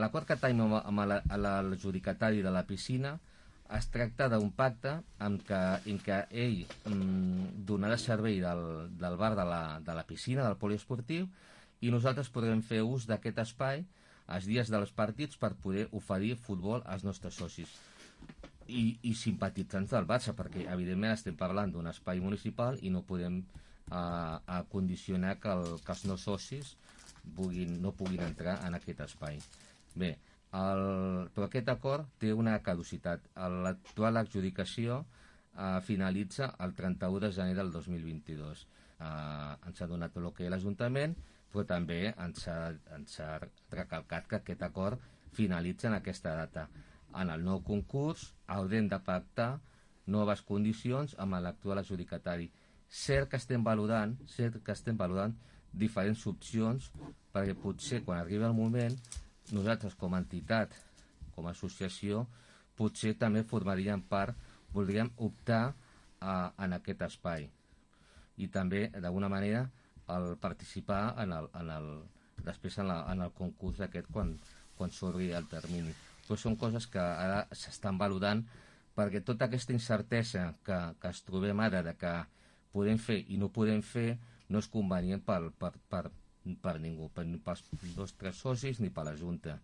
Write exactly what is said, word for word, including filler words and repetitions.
L'acord que tenim amb, amb la- a la- l'adjudicatari de la piscina es tracta d'un pacte en què, en què ell mm, donarà servei del, del bar de la, de la piscina, del poliesportiu, i nosaltres podrem fer ús d'aquest espai els dies dels partits per poder oferir futbol als nostres socis i, i simpatitzants del Barça, perquè evidentment estem parlant d'un espai municipal i no podem eh, a condicionar que, el, que els no socis puguin, no puguin entrar en aquest espai. Bé, el, però aquest acord té una caducitat. L'actual adjudicació eh, finalitza el trenta-u de gener del dos mil vint-i-dos. Eh, ens ha donat l'ok a l'Ajuntament, però també ens ha, ens ha recalcat que aquest acord finalitza en aquesta data. En el nou concurs haurem de pactar noves condicions amb l'actual adjudicatari. Cert que estem valorant, cert que estem valorant diferents opcions, perquè potser quan arribi el moment nosaltres com a entitat, com a associació, potser també formaríem part, voldríem optar a, en aquest espai i també d'alguna manera el participar en el, en el, després en, la, en el concurs aquest quan, quan s'obri el termini. Però són coses que ara s'estan valorant, perquè tota aquesta incertesa que, que es trobem ara de que podem fer i no podem fer no és convenient per, per, per, per ningú, per, ni pels nostres socis ni per la Junta.